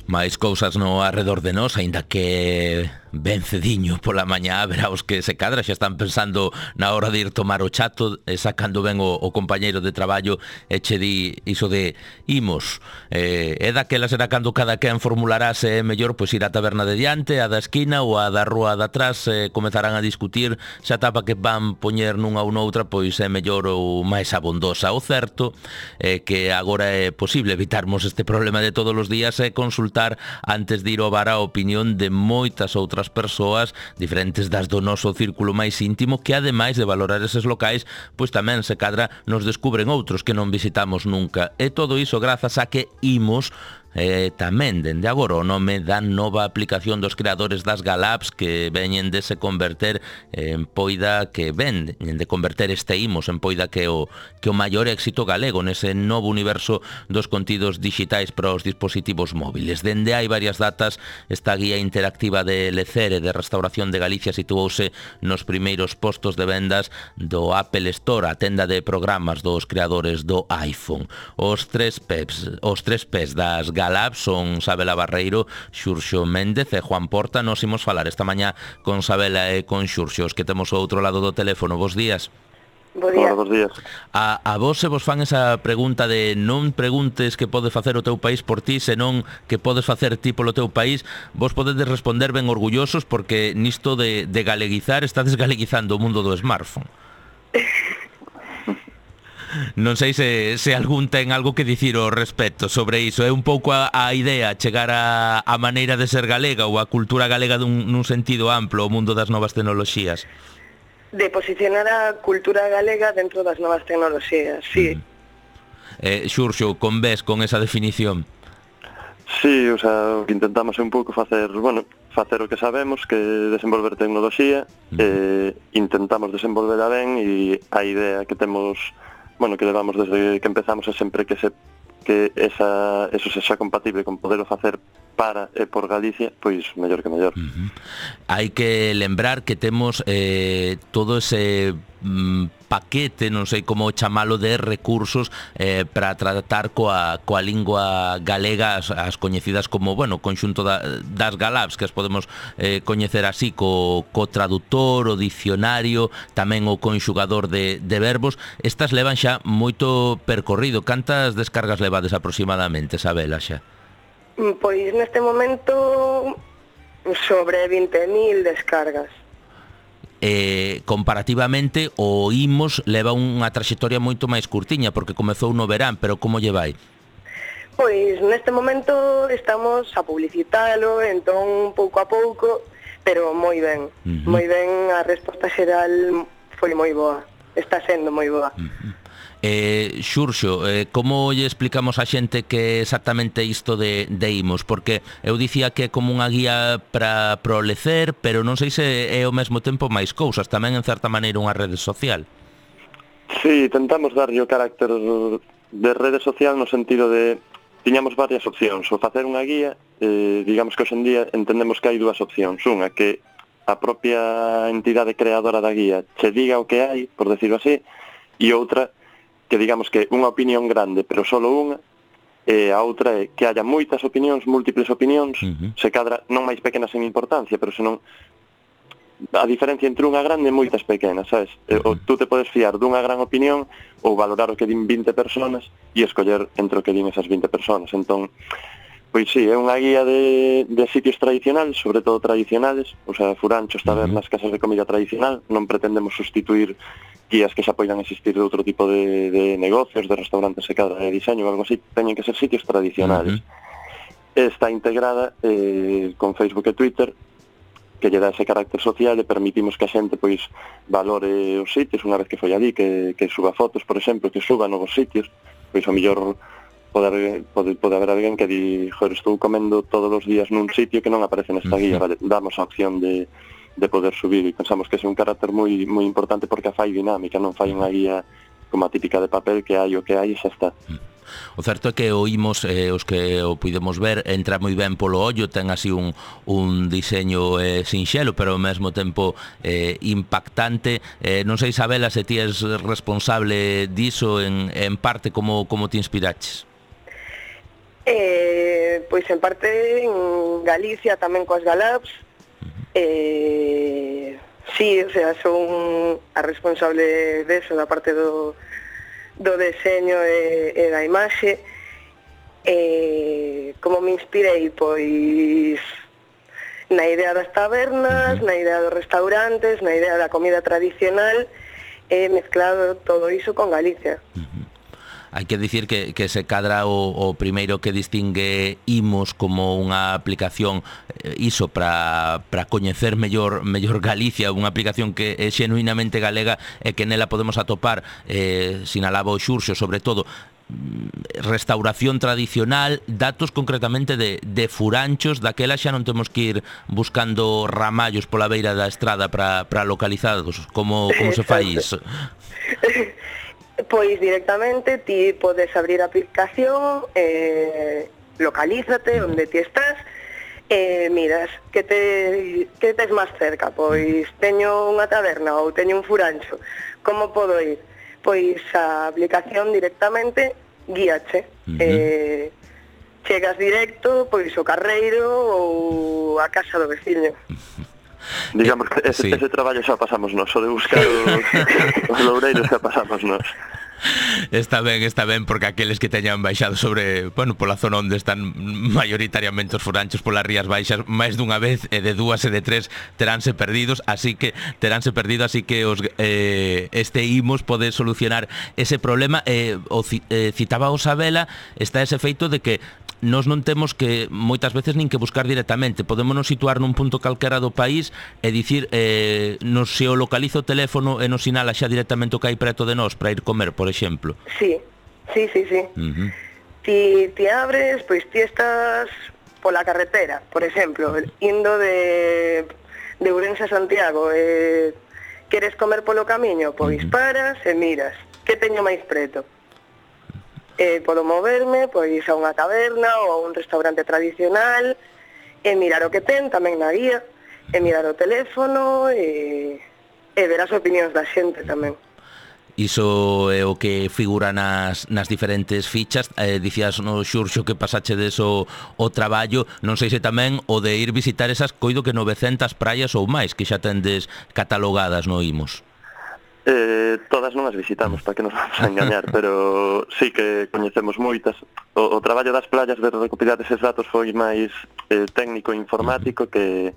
Máis cousas no arredor de nós, aínda que ben cediño pola mañá, verá os que se cadra, xa están pensando na hora de ir tomar o chato, sacando ben o compañeiro de traballo, e che di iso de imos, e daquela será cando cada quen formulará se é mellor pois ir á taberna de diante, a da esquina ou a da rúa de atrás, comezarán a discutir se a tapa que van poñer nunha ou noutra pois é mellor ou máis abondosa. O certo é que agora é posible evitarmos este problema de todos os días e consultar antes de ir ao bar a opinión de moitas outras persoas diferentes das do noso círculo máis íntimo, que ademais de valorar eses locais, pois tamén se cadra nos descubren outros que non visitamos nunca. E todo iso grazas a que imos tamén dende agora o nome da nova aplicación dos creadores das Galapps, que veñen de se converter en poida que ven de converter este imos en poida que o maior éxito galego nese novo universo dos contidos digitais para os dispositivos móviles. Dende hai varias datas, esta guía interactiva de Lecere de Restauración de Galicia situouse nos primeiros postos de vendas do Apple Store, a tenda de programas dos creadores do iPhone. Os tres P's das Galapps son Sabela Barreiro, Xurxo Méndez e Juan Porta. Nos imos falar esta mañá con Sabela e con Xurxo, os que temos ao outro lado do teléfono. Bos días. Hola, bos días. A vos se vos fan esa pregunta de non preguntes que pode facer o teu país por ti, senón que podes facer ti polo teu país, vos podedes responder ben orgullosos, porque nisto de galeguizar estades galeguizando o mundo do smartphone. Non sei se algún ten algo que dicir ao respecto sobre iso. É un pouco a idea, chegar a maneira de ser galega ou a cultura galega nun sentido amplo, o mundo das novas tecnoloxías. De posicionar a cultura galega dentro das novas tecnoloxías, sí. Xurxo, convés con esa definición? Sí, o sea, o que intentamos é un pouco facer o que sabemos, que desenvolver tecnoloxía, intentamos desenvolverla ben, e a idea que temos, que levamos desde que empezamos é sempre que eso sexa compatible con poderlo facer para e por Galicia, pois mellor que mellor. Hai que lembrar que temos todo ese paquete, non sei como chamalo, de recursos para tratar coa lingua galega, as coñecidas como, conxunto das Galapps, que as podemos coñecer así, co traductor, o dicionario, tamén o conxugador de verbos. Estas levan xa moito percorrido. Cantas descargas levades aproximadamente, Sabela, xa? Pois neste momento sobre 20.000 descargas. Comparativamente o Imos leva unha traxectoria moito máis curtiña, porque comezou no verán, pero como lle vai? Pois neste momento estamos a publicitalo, entón pouco a pouco, pero moi ben. Moi ben, a resposta xeral foi moi boa, está sendo moi boa. Xurxo, como lle explicamos a xente que exactamente isto de Imos? Porque eu dicía que é como unha guía para o lecer, pero non sei se é ao mesmo tempo máis cousas, tamén en certa maneira unha rede social. Sí, tentamos darlle o carácter de rede social no sentido de tiñamos varias opcións. O facer unha guía, digamos que hoxe en día entendemos que hai dúas opcións. Unha, que a propia entidade creadora da guía che diga o que hai, por decirlo así, e outra, que digamos que unha opinión grande, pero solo unha, e a outra é que haya moitas opinións, múltiples opinións, se cadra non máis pequenas en importancia, pero senón a diferencia entre unha grande e moitas pequenas, sabes? Ou tú te podes fiar dunha gran opinión ou valorar o que din 20 personas e escoller entre o que din esas 20 personas. Entón, pois sí, é unha guía de sitios tradicionales, sobre todo tradicionales, o sea, furanchos, tabernas, casas de comida tradicional. Non pretendemos sustituir guías que xa poidan existir de outro tipo de negocios, de restaurantes e cadra de diseño ou algo así. Teñen que ser sitios tradicionales. Está integrada con Facebook e Twitter, que lle dá ese carácter social, e permitimos que a xente pois valore os sitios unha vez que foi ali, que suba fotos, por exemplo, que suba novos sitios. Pois o mellor pode haber alguén que di, joder, estou comendo todos os días nun sitio que non aparece nesta guía, vale, damos a opción de poder subir, e pensamos que é un carácter moi moi importante porque a fai dinámica, non fai unha guía como a típica de papel que hai o que hai e xa está. O certo é que oímos, os que o puidemos ver, entra moi ben polo ollo, ten así un diseño sinxelo, pero ao mesmo tempo impactante. Non sei, Isabela, se ti és responsable diso en parte, como te inspiraches? Pois en parte en Galicia tamén coas Galabs. Sí, o sea, son a responsable deso, da parte do deseño e da imaxe. Como me inspirei? Pois na idea das tabernas, na idea dos restaurantes, na idea da comida tradicional, e mezclado todo iso con Galicia. Hai que dicir que se cadra o primeiro que distingue Imos como unha aplicación iso para coñecer mellor Galicia, unha aplicación que é xenuinamente galega e que nela podemos atopar, sinalaba o Xurxo, sobre todo, restauración tradicional, datos concretamente de furanchos, daquela xa non temos que ir buscando ramallos pola beira da estrada para localizados. Como se fai iso? Pois directamente ti podes abrir a aplicación, localízate onde ti estás, miras que tes máis cerca. Pois teño unha taberna ou teño un furancho, como podo ir? Pois a aplicación directamente guíache. Chegas directo pois ao carreiro ou á casa do veciño. Digamos que ese traballo xa pasamos nós, o de buscar os loureiros xa pasamos nós. Está ben, porque aqueles que teñan baixado sobre, pola zona onde están maioritariamente os furanchos polas rías baixas, máis dunha vez, e de dúas e de tres teránse perdido, así que este Imos pode solucionar ese problema. Citaba o Sabela, está ese feito de que nós non temos que moitas veces nin que buscar directamente, podémonos situar nun punto calquera do país e dicir, nos se o localiza o teléfono e nos sinala xa directamente o que hai preto de nós para ir comer, por exemplo. Sí. Ti abres, pois ti estás pola carretera, por exemplo, indo de Ourense a Santiago, queres comer polo camiño, pois paras e miras que teño máis preto. Podo moverme pois a unha taberna ou a un restaurante tradicional e mirar o que ten tamén na guía, e mirar o teléfono e ver as opinións da xente tamén. Iso é o que figura nas diferentes fichas. Dicías no Xurxo que pasachedes o traballo, non sei se tamén o de ir visitar esas, coido que 900 praias ou máis que xa tendes catalogadas no Imos. Todas non as visitamos, para que nos vamos a engañar, pero sí que coñecemos moitas. O traballo das playas de recopilar eses datos foi máis técnico e informático que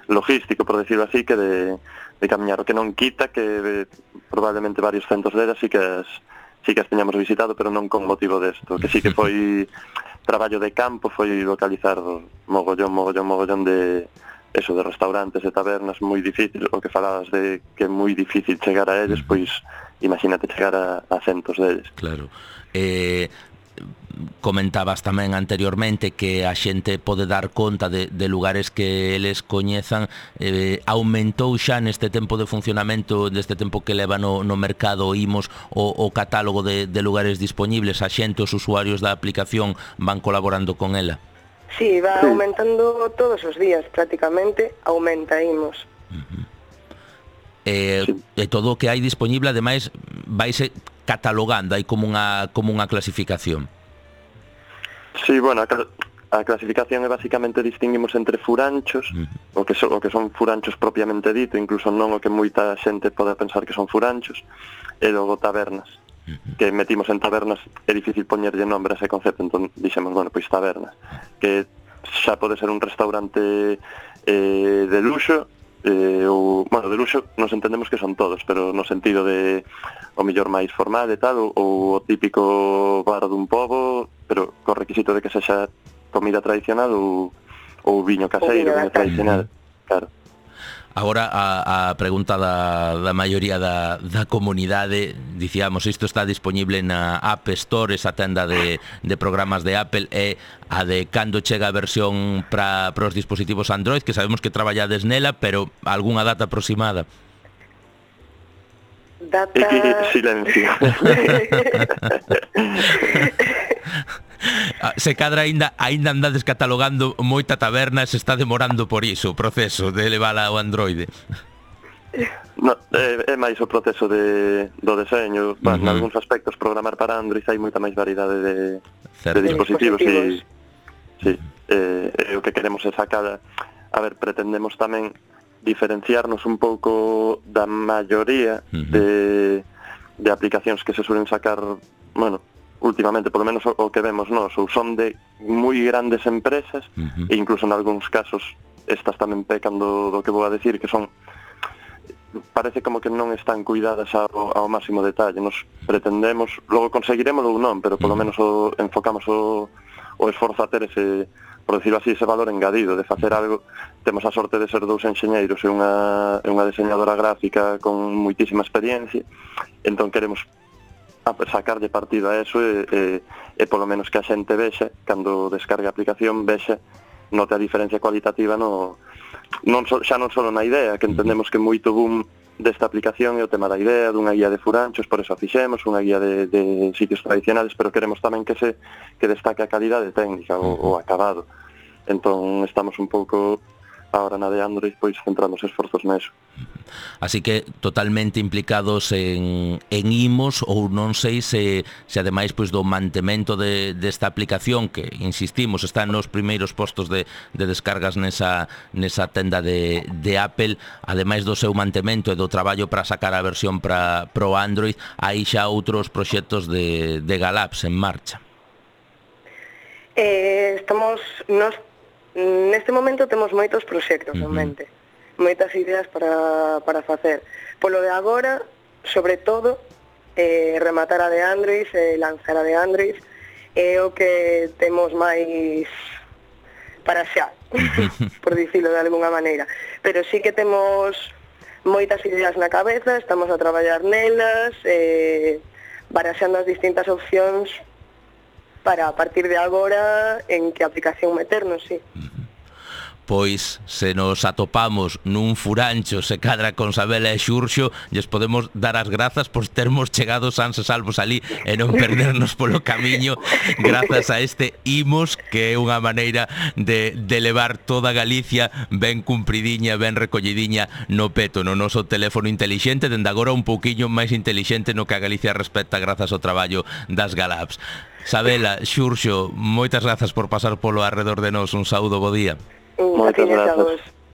logístico, por decirlo así, que de camiñar. O que non quita que probablemente varios centos delas sí que as teñamos visitado, pero non con motivo desto. Que sí que foi traballo de campo, foi localizar mogollón de eso, de restaurantes e tabernas moi difícil. O que falabas de que é moi difícil chegar a eles, pois imagínate chegar a centos deles. Claro. Comentabas tamén anteriormente que a xente pode dar conta de lugares que eles coñezan. Aumentou xa neste tempo de funcionamento, neste tempo que leva no mercado Imos, o catálogo de lugares disponibles. A xente, os usuarios da aplicación van colaborando con ela. Sí, va aumentando todos os días, prácticamente aumenta Imos. E todo o que hai disponible, ademais, vaise catalogando, hai como unha clasificación. Sí, bueno, a clasificación é basicamente distinguimos entre furanchos, o que son furanchos propiamente dito, incluso non o que moita xente pode pensar que son furanchos, e logo tabernas, que metimos en tabernas. É difícil poñerlle nombre a ese concepto, entón dixemos, pois tabernas, que xa pode ser un restaurante de luxo, ou, de luxo nos entendemos que son todos, pero no sentido de o mellor máis formal e tal, ou o típico bar dun pobo, pero co requisito de que sexa comida tradicional ou viño caseiro, viño tradicional, claro. Agora a pregunta da maioría da comunidade, dicíamos, isto está disponible na App Store, esa tenda de programas de Apple, e a de cando chega a versión para os dispositivos Android, que sabemos que traballades nela, pero algunha data aproximada? Silencio. Se cadra aínda andades catalogando moita taberna e se está demorando por iso o proceso de levala ao Android. No, é máis o proceso do deseño. En algúns aspectos programar para Android hai moita máis variedade de dispositivos. Sí, o que queremos é sacar, a ver, pretendemos tamén diferenciarnos un pouco da maioría de aplicacións que se suelen sacar, bueno, últimamente, por lo menos o que vemos nós, ou son de moi grandes empresas, e incluso en algúns casos estas tamén pecan do que vou a decir, que son, parece como que non están cuidadas ao máximo detalle. Nos pretendemos, logo conseguiremos ou non, pero polo menos enfocamos o esforzo a ter ese, por decirlo así, ese valor engadido de facer algo. Temos a sorte de ser dous enxeñeiros e unha diseñadora gráfica con moitísima experiencia, entón queremos sacarlle partido a eso e polo menos que a xente vexa, cando descargue a aplicación, vexa, note a diferencia cualitativa xa non só na idea, que entendemos que moito boom desta aplicación é o tema da idea, dunha guía de furanchos, por eso a fixemos, unha guía de sitios tradicionales, pero queremos tamén que destaque a calidade técnica, o acabado. Entón estamos un pouco agora na de Android, pois centramos esforzos neso. Así que totalmente implicados en imos, ou non sei se ademais pois do mantemento desta aplicación, que insistimos está nos primeiros postos de descargas nesa tenda de Apple, ademais do seu mantemento e do traballo para sacar a versión para o Android, hai xa outros proxectos de Galapps en marcha. Neste momento temos moitos proxectos en mente, moitas ideas para facer. Polo de agora, sobre todo, rematar a de Android, lanzar a de Android, é o que temos máis para xa, por dicilo de alguna maneira. Pero sí que temos moitas ideas na cabeza, estamos a traballar nelas, baraxando as distintas opcións para a partir de agora en que aplicación meternos, sí. Pois se nos atopamos nun furancho se cadra con Sabela e Xurxo, lles podemos dar as grazas por termos chegado sans e salvos ali e non perdernos polo camiño grazas a este Imos, que é unha maneira de levar toda Galicia ben cumpridiña, ben recollidiña no peto, no noso teléfono intelixente, dende agora un pouquiño máis intelixente no que a Galicia respecta grazas ao traballo das Galapps. Sabela, Xurxo, moitas grazas por pasar polo arredor de nós. Un saúdo, bo día. Moitas grazas.